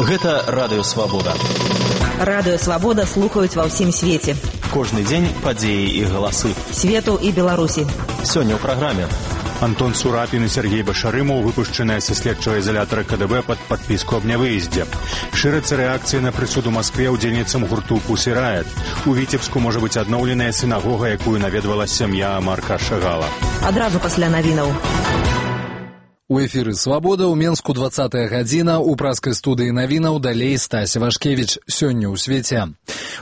Гэта Радыё Свабода. Радыё Свабода слухаюць ва ўсім свеце. Кожны дзень падзеі і галасы. Свету і Беларусі. Сёння ў праграме. Антон Сурапін і Сергей Башарымаў выпушчаныя са следчага изолятора КДБ пад падпіску аб нявыездзе. Шырацца рэакцыі на прысуд у Маскве ўдзельніцам гурту «Пусі Райат». У Віцебску можа быць адноўленая сінагога, якую наведвала сям'я Марка Шагала. Адразу пасля навінаў. У эфіры «Свабода» ў Менску 20-я гадзіна, у праскай студыі навінаў далей Стася Вашкевіч. Сёння ў свеце.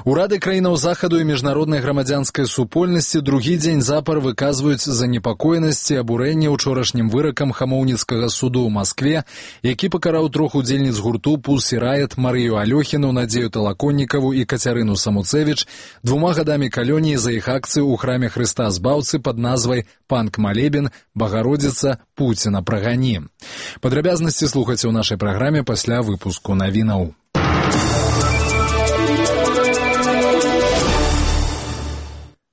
Урады краінаў захаду і міжнароднай грамадзянскай супольнасці другі дзень запар выказваюць занепакоенасць і абурэнне учорашнім выракам Хамоўніцкага суду ў Маскве, які пакараў трох удзельніц гурту «Пусі Райат» Марыю Алёхіну, Надзею Талаконнікаву і Кацярыну Самуцевіч 2 гадамі калоніі за іх акцыю ў храме Хрыста Збаўцы пад назвай «Панк-малебен, Багародзіца, Пуціна прагані». Падрабязнасці слухайце ў нашай праграме пасля выпуску навінаў.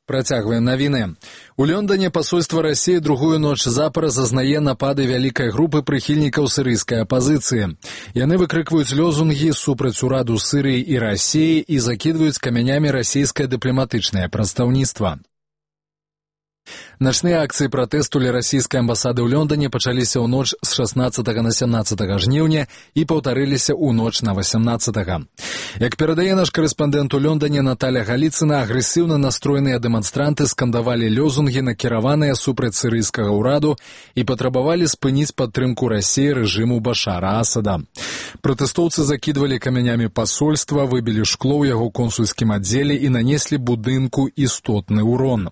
Працягваем навіны. У Лондоне пасольства Расіі другую ноч запар зазнае напады вялікай групы прыхільнікаў сірыйскай апазіцыі. Яны выкрыкваюць лозунгі супраць ураду Сірыі і Расіі і закідваюць камянямі расійскае дыпламатычнае прадстаўніцтва. Начныя акцыі пратэсту ля расійскай амбасады ў Лондоне пачаліся ў ноч з 16 на 17 жніўня і паўтарыліся ў ноч на 18. Як перадае наш карэспандэнт у Лондоне Наталя Галіцына, агрэсіўна настроеныя дэманстранты скандавалі лозунгі, накіраваныя супраць сірыйскага ўраду, і патрабавалі спыніць падтрымку Расіі рэжыму Башара Асада. Пратэстоўцы закідвалі камянямі пасольства, выбілі шкло ў яго консульскім аддзеле і нанеслі будынку істотны ўрон.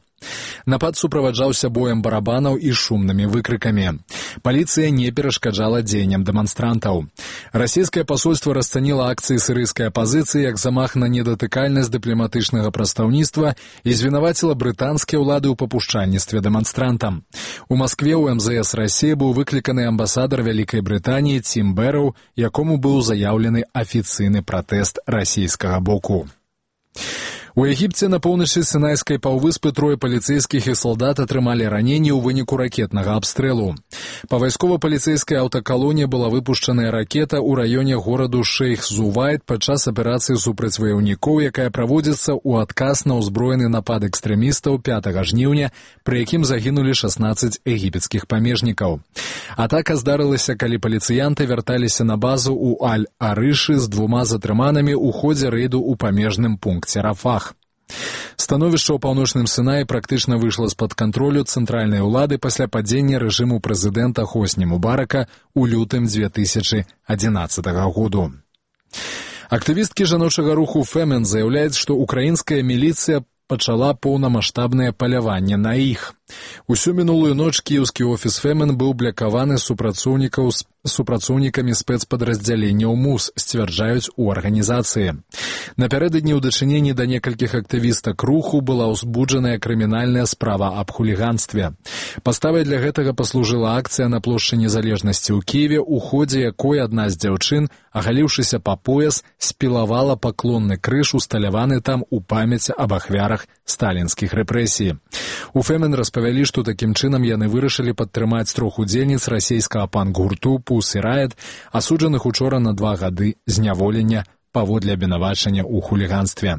Напад суправаджаўся боем барабанаў і шумнымі выкрыкамі. Паліцыя не перашкаджала дзеянням дэманстрантаў. Расійскае пасольства расцаніла акцыі сірыйскай апазіцыі як замах на недатыкальнасць дыпламатычнага прадстаўніцтва і звінаваціла брытанскія ўлады ў папушчальніцтве дэманстрантам. У Маскве ў МЗС Расіі быў выкліканы амбасадар Вялікай Брытаніі Тім Бэрроу, якому быў заяўлены афіцыйны пратэст расійскага боку. У Егіпце на поўначы Сінайскай паўвыспы 3 паліцэйскіх і салдат атрымалі раненні ў выніку ракетнага абстрэлу. Па вайскова-паліцэйскай аўтакалоне была выпушчаная ракета ў раёне гораду Шэйх-Зувайд падчас аперацыі супраць ваяўнікоў, якая праводзіцца ў адказ на ўзброены напад экстрэмістаў 5 жніўня, пры якім загінулі 16 егіпецкіх памежнікаў. Атака здарылася, калі паліцыянты вярталіся на базу ў Аль-Арышы з 2 затрыманымі ў ходзе рэйду ў памежным пункце Рафах. Становішча ў паўночным Сінаі практычна выйшла з-пад кантролю цэнтральнай улады пасля падзення рэжыму прэзідэнта Хосні Мубарака ў лютым 2011 году. Актывісткі жаночага руху «Фемен» заяўляюць, што украінская міліцыя пачала поўнамаштабнае паляванне на іх. Усю мінулую ноч кіеўскі офіс «Фемен» быў блякаваны супрацоўнікамі спецпадраздзяленняў МУС, сцвярджаюць у арганізацыі. Напярэдадні ў дачыненні да некалькіх актывістак руху была ўзбуджаная крымінальная справа аб хуліганстве. Паставай для гэтага паслужыла акцыя на плошчы Незалежнасці ў Кіеве, у ходзе якой адна з дзяўчын, агаліўшыся па пояс, спілавала паклонны крыж, усталяваны там у памяць аб ахвярах сталінскіх рэпрэсій. У «Фемен» распавялі, што такім чынам яны вырашылі падтрымаць 3 удзельніц расійскага панк-гурту «Пусі Райат», асуджаных учора на 2 гады зняволення паводле абвінавачання ў хуліганстве.